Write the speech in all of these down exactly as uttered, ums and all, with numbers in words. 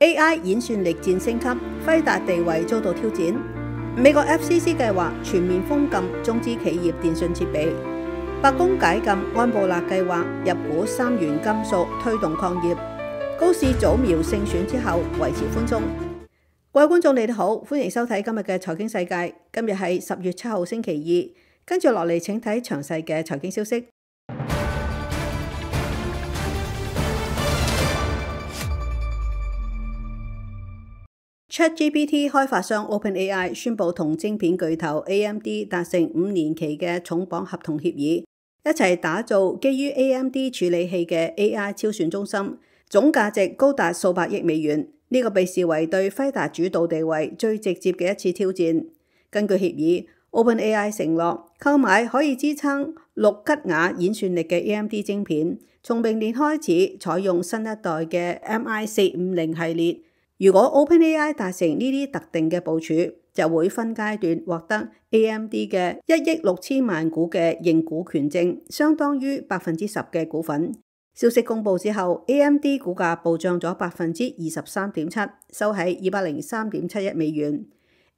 A I 演算力戰升級，輝達地位遭到挑戰。美國 F C C 計劃全面封禁中資企業電訊設備。白宮解禁安布勒計劃入股三元金屬推動礦業。高市早苗勝選之後維持寬鬆。各位觀眾你哋好，歡迎收睇今日嘅財經世界。今日係十月七號星期二，跟住落嚟請睇詳細嘅財經消息。ChatGPT 開發商 OpenAI 宣布同晶片巨頭 A M D 達成五年期嘅重磅合同協議，一齊打造基於 A M D 處理器嘅 A I 超算中心，總價值高達數百億美元。呢、這個被視為對輝達主導地位最直接嘅一次挑戰。根據協議 ，OpenAI 承諾購買可以支撐六吉瓦演算力嘅 A M D 晶片，從明年開始採用新一代嘅 M I 四五零系列。如果 OpenAI 達成呢啲特定嘅部署，就會分階段獲得 A M D 嘅一億六千萬股嘅認股權證，相當於百分之十嘅股份。消息公佈之後 ，A M D 股價暴漲咗百分之二十三點七，收喺二百零三點七一美元。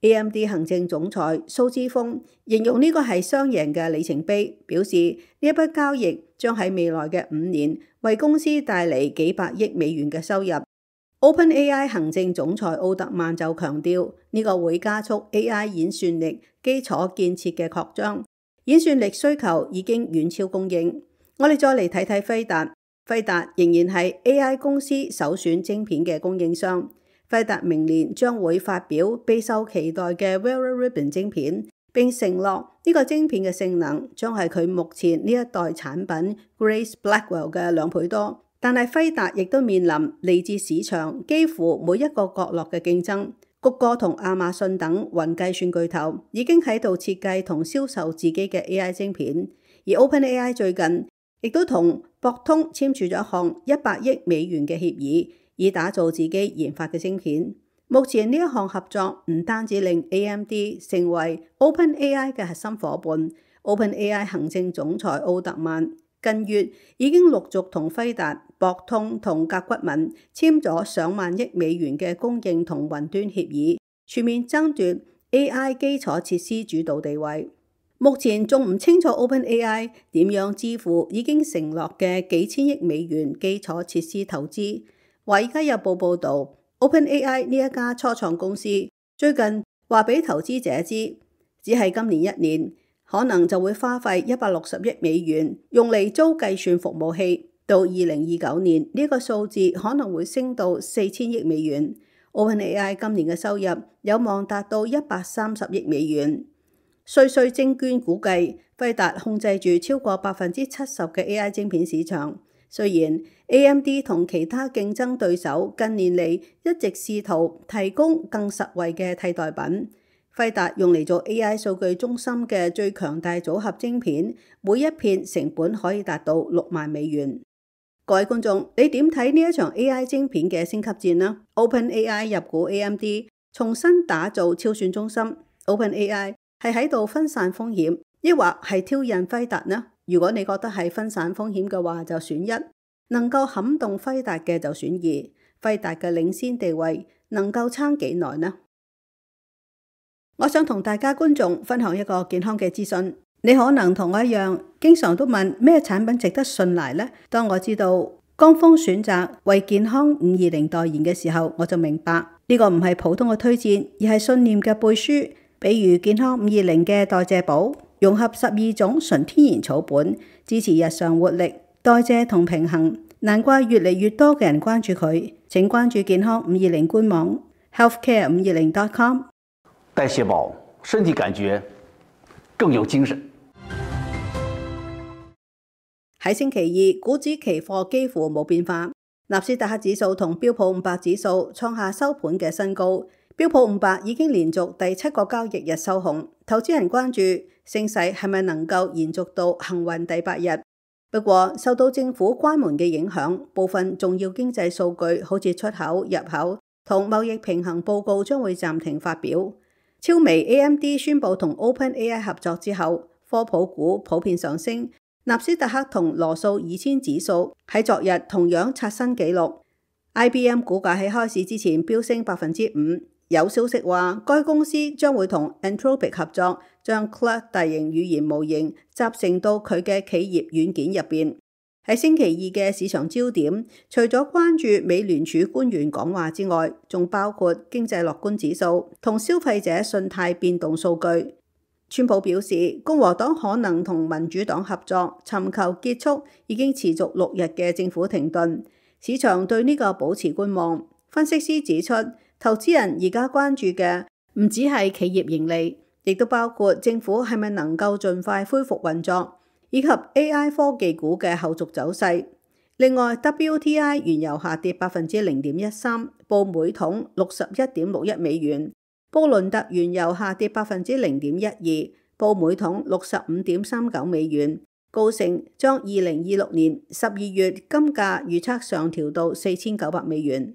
A M D 行政總裁蘇姿豐形容呢個係雙贏嘅里程碑，表示呢一筆交易將喺未來嘅五年為公司帶嚟幾百億美元嘅收入。OpenAI 行政總裁奧特曼就強調，呢、這個會加速 A I 演算力基礎建設嘅擴張，演算力需求已經遠超供應。我哋再嚟睇睇輝達，輝達仍然係 A I 公司首選晶片嘅供應商。輝達明年將會發表備受期待嘅 Vera Rubin 晶片，並承諾呢個晶片嘅性能將係佢目前呢一代產品 Grace Blackwell 嘅兩倍多。但係輝達亦都面臨嚟自市場幾乎每一個角落嘅競爭，谷歌同亞馬遜等雲計算巨頭已經喺度設計同銷售自己嘅 A I 晶片，而 OpenAI 最近亦都同博通簽署咗一項一百億美元嘅協議，以打造自己研發嘅晶片。目前呢一項合作唔單止令 A M D 成為 OpenAI 嘅核心夥伴 ，OpenAI 行政總裁奧特曼近月已經陸續同輝達、博通同甲骨文簽咗上萬億美元嘅供應同雲端協議，全面爭奪 A I 基礎設施主導地位。目前仲唔清楚 OpenAI 點樣支付已經承諾嘅幾千億美元基礎設施投資。華爾街日報報導 ，OpenAI 呢一家初創公司最近話俾投資者知，只係今年一年，可能就會花費一百六十億美元用嚟租計算服務器，到二零二九年呢個數字可能會升到四千億美元。OpenAI 今年嘅收入有望達到一百三十億美元。瑞穗證券估計，輝達控制住超過百分之七十嘅 A I 晶片市場。雖然 A M D 同其他競爭對手近年嚟一直試圖提供更實惠嘅替代品。輝達用嚟做 A I 數據中心嘅最強大組合晶片，每一片成本可以達到六萬美元。各位觀眾，你點睇呢一場 A I 晶片嘅升級戰呢？ OpenAI 入股 A M D， 重新打造超算中心。OpenAI 係喺度分散風險，抑或係挑釁輝達呢？如果你覺得係分散風險嘅話，就選一；能夠撼動輝達嘅就選二。輝達嘅領先地位能夠撐幾耐呢？我想同大家觀眾分享一個健康嘅資訊。你可能同我一樣，經常都問咩產品值得信賴呢？當我知道江鋒選擇為健康五二零代言嘅時候，我就明白呢個唔係普通嘅推薦，而係信念嘅背書。比如健康五二零嘅代謝寶，融合十二種純天然草本，支持日常活力、代謝同平衡。難怪越嚟越多嘅人關注佢。請關注健康五二零官網 healthcare 五二零 dot com。代謝寶，身體感覺更有精神。喺星期二，股指期貨幾乎冇變化，納斯達克指數同標普五百指數創下收盤嘅新高。標普五百已經連續第七個交易日收紅，投資人關注升勢係咪能夠延續到幸運第八日。不過受到政府關門嘅影響，部分重要經濟數據好似出口、入口同貿易平衡報告將會暫停發表。超微 A M D 宣布同 OpenAI 合作之後，科普股普遍上升，納斯達克同羅素二千指數喺昨日同樣刷新紀錄。I B M 股價喺開市之前飆升百分之五，有消息話該公司將會同 Anthropic 合作，將 Claude 大型語言模型集成到佢嘅企業軟件入邊。喺星期二嘅市場焦點，除咗關注美聯儲官員講話之外，仲包括經濟樂觀指數同消費者信貸變動數據。川普表示，共和黨可能同民主黨合作，尋求結束已經持續六日嘅政府停頓。市場對呢個保持觀望。分析師指出，投資人而家關注嘅唔只係企業盈利，亦都包括政府係咪能夠盡快恢復運作，以及 A I 科技股嘅後續走勢。另外 W T I 原油下跌百分之零點一三，報每桶六十一點六一美元。布倫特原油下跌百分之零點一二，報每桶六十五點三九美元。高盛將二零二六年十二月金價預測上調到四千九百美元。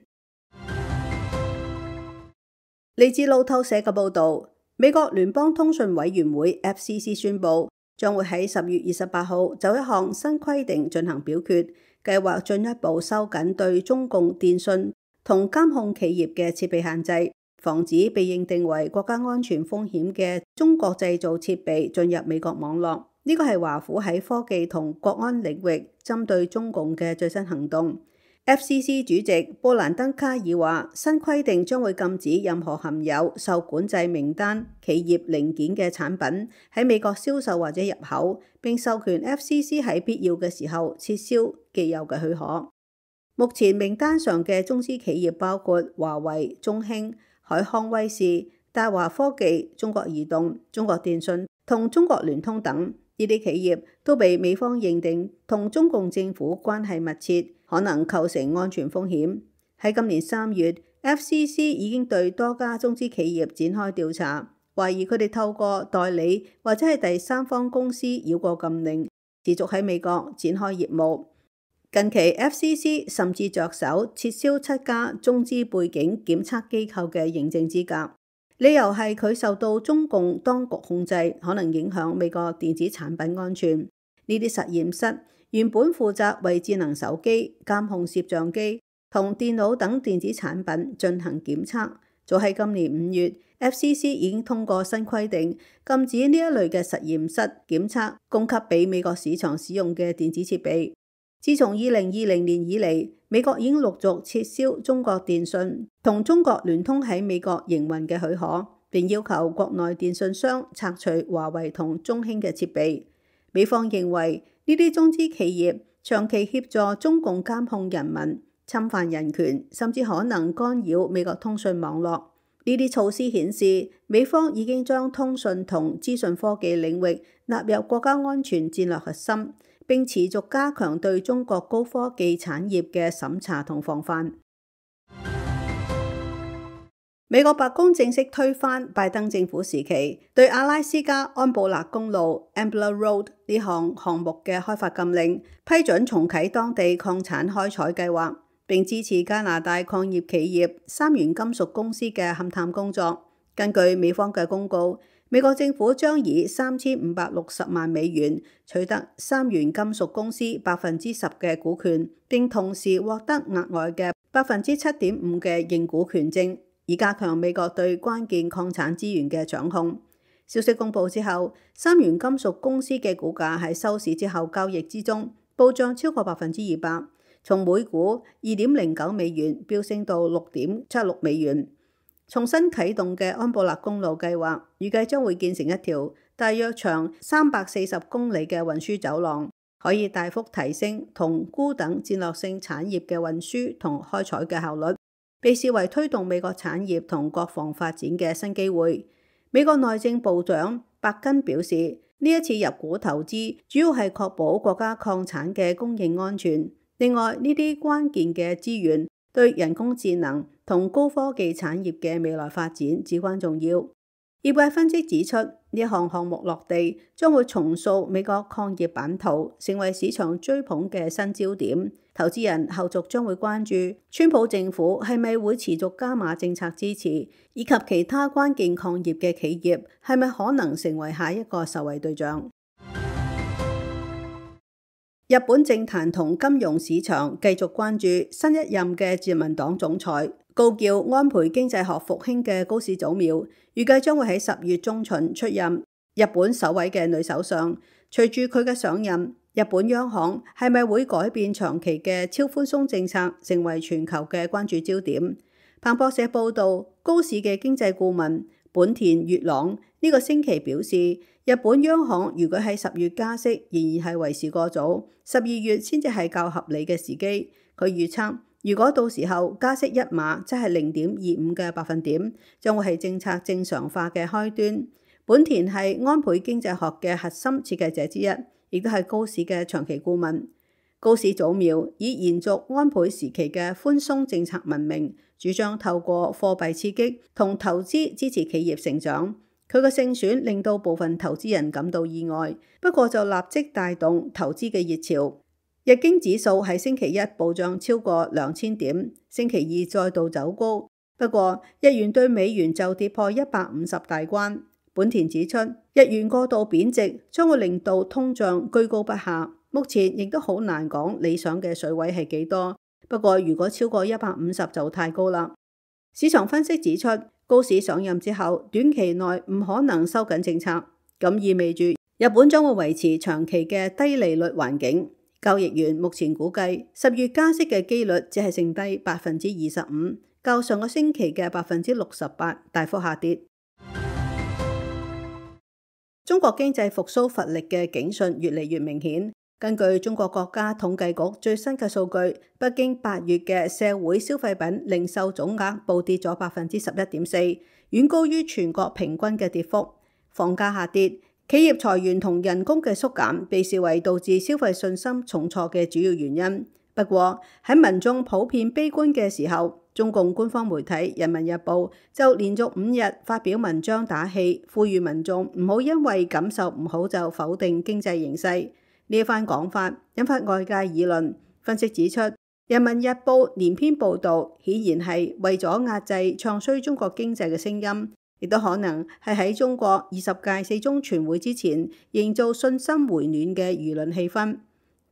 嚟自路透社嘅報導，美國聯邦通訊委員會 F C C 宣布，將會喺十月二十八號就一項新規定進行表決，計劃進一步收緊對中共電信同監控企業嘅設備限制，防止被認定為國家安全風險嘅中國製造設備進入美國網絡。呢個係華府喺科技同國安領域針對中共嘅最新行動。F C C 主席布蘭登卡爾話，新規定將會禁止任何含有受管制名單企業零件嘅產品喺美國銷售或者入口，並授權 F C C 喺必要嘅時候撤銷既有嘅許可。目前名單上嘅中資企業包括華為、中興、海康威視、大華科技、中國移動、中國電信同中國聯通等。呢啲企業都被美方認定同中共政府關係密切，可能構成安全風險。喺今年三月 ，F C C 已經對多家中資企業展開調查，懷疑佢哋透過代理或者係第三方公司繞過禁令，持續喺美國展開業務。近期 F C C 甚至着手撤銷七家中資背景檢測機構嘅認證資格。理由係佢受到中共當局控制，可能影響美國電子產品安全。呢啲實驗室原本負責為智能手機、監控攝像機同電腦等電子產品進行檢測。早喺今年五月 ，F C C 已經通過新規定，禁止呢一類嘅實驗室檢測供給俾美國市場使用嘅電子設備。自從二零二零年以嚟，美國已經陸續撤銷中國電信同中國聯通喺美國營運嘅許可，並要求國內電信商拆除華為同中興嘅設備。美方認為呢啲中資企業長期協助中共監控人民、侵犯人權，甚至可能干擾美國通訊網絡。呢啲措施顯示，美方已經將通訊同資訊科技領域納入國家安全戰略核心，並持續加強對中國高科技產業嘅審查同防範。美國白宮正式推翻拜登政府時期對阿拉斯加安布勒公路 Ambler Road 呢項項目嘅開發禁令，批准重啟當地礦產開採計劃，並支持加拿大礦業企業三元金屬公司嘅勘探工作。根據美方嘅公告，美國政府將以三千五百六十萬美元取得三元金屬公司百分之十嘅股權，並同時獲得額外嘅百分之七點五嘅認股權證，以加強美國對關鍵礦產資源嘅掌控。消息公佈之後，三元金屬公司嘅股價喺收市之後交易之中暴漲超過百分之二百，從每股二點零九美元飆升到六點七六美元。重新啟動嘅安布勒公路計劃，預計將會建成一條大約長三百四十公里嘅運輸走廊，可以大幅提升同鈷等戰略性產業嘅運輸同開採嘅效率，被視為推動美國產業同國防發展嘅新機會。美國內政部長伯根表示，呢一次入股投資主要係確保國家礦產嘅供應安全。另外，呢啲關鍵嘅資源對人工智能同高科技產業嘅未來發展至關重要。業界分析指出，呢一項項目落地將會重塑美國礦業版圖，成為市場追捧嘅新焦點。投資人後續將會關注川普政府係咪會持續加碼政策支持，以及其他關鍵礦業嘅企業係咪可能成為下一個受惠對象。日本政壇同金融市場繼續關注新一任嘅自民黨總裁高叫安倍經濟學復興嘅高市早苗，預計將會喺十月中旬出任日本首位嘅女首相。隨住佢嘅上任，日本央行係咪會改變長期嘅超寬鬆政策，成為全球嘅關注焦點。彭博社報道，高市嘅經濟顧問本田月朗呢個星期表示，日本央行如果喺十月加息，仍然係為時過早，十二月先至係較合理嘅時機。佢預測，如果到時候加息一碼，即係零點二五嘅百分點，將會係政策正常化嘅開端。本田係安倍經濟學嘅核心設計者之一，亦都係高市嘅長期顧問。高市早苗以延續安倍時期嘅寬鬆政策聞名，主張透過貨幣刺激同投資支持企業成長。佢嘅勝選令到部分投資人感到意外，不過就立即帶動投資嘅熱潮。日經指數喺星期一暴漲超過兩千點，星期二再度走高，不過日元對美元就跌破一百五十大關。本田指出，日元過度貶值將會令到通脹居高不下，目前亦都好難講理想嘅水位係幾多。不過如果超過一百五十就太高啦。市場分析指出，高市上任之後，短期內唔可能收緊政策，咁意味住日本將會維持長期嘅低利率環境。交易員目前估計十月加息嘅機率只係剩低百分之二十五，較上個星期嘅百分之六十八大幅下跌。中國經濟復甦乏力嘅警訊越嚟越明顯。根據中國國家統計局最新嘅數據，北京八月嘅社會消費品零售總額暴跌咗百分之十一點四，遠高於全國平均嘅跌幅。房價下跌，企業裁員同人工嘅縮減被視為導致消費信心重挫嘅主要原因。不過喺民眾普遍悲觀嘅時候，中共官方媒體《人民日報》就連續五日發表文章打氣，呼籲民眾唔好因為感受唔好就否定經濟形勢。呢一番講法引發外界議論。分析指出，《人民日報》連篇報導顯然係為咗壓制唱衰中國經濟嘅聲音，亦都可能係喺中國二十屆四中全會之前營造信心回暖嘅輿論氣氛。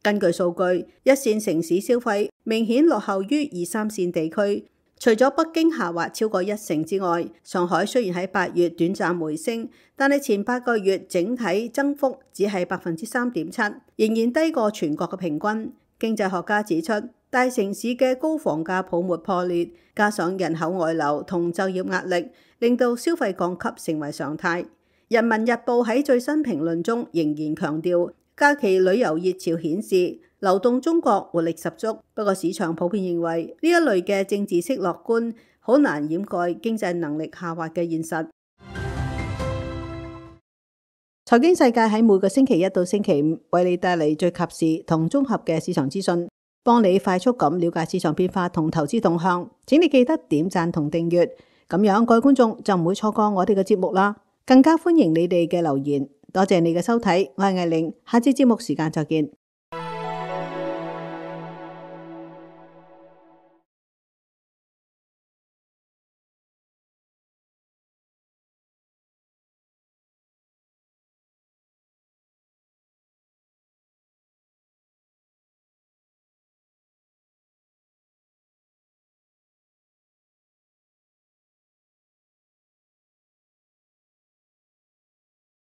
根據數據，一線城市消費明顯落後於二三線地區，除咗北京下滑超過一成之外，上海雖然喺八月短暫回升，但係前八個月整體增幅只係百分之三點七，仍然低過全國嘅平均。經濟學家指出，大城市嘅高房價泡沫破裂，加上人口外流同就業壓力，令到消費降級成為常態。人民日報喺最新評論中仍然強調，假期旅遊熱潮顯示流動中國活力十足，不過市場普遍認為呢一類嘅政治式樂觀好難掩蓋經濟能力下滑嘅現實。財經世界喺每個星期一到星期五為你帶嚟最及時同綜合嘅市場資訊，幫你快速咁了解市場變化同投資動向。請你記得點讚同訂閱，咁樣各位觀眾就唔會錯過我哋嘅節目啦。更加歡迎你哋嘅留言。多謝你嘅收睇，我係艾玲，下次節目時間再見。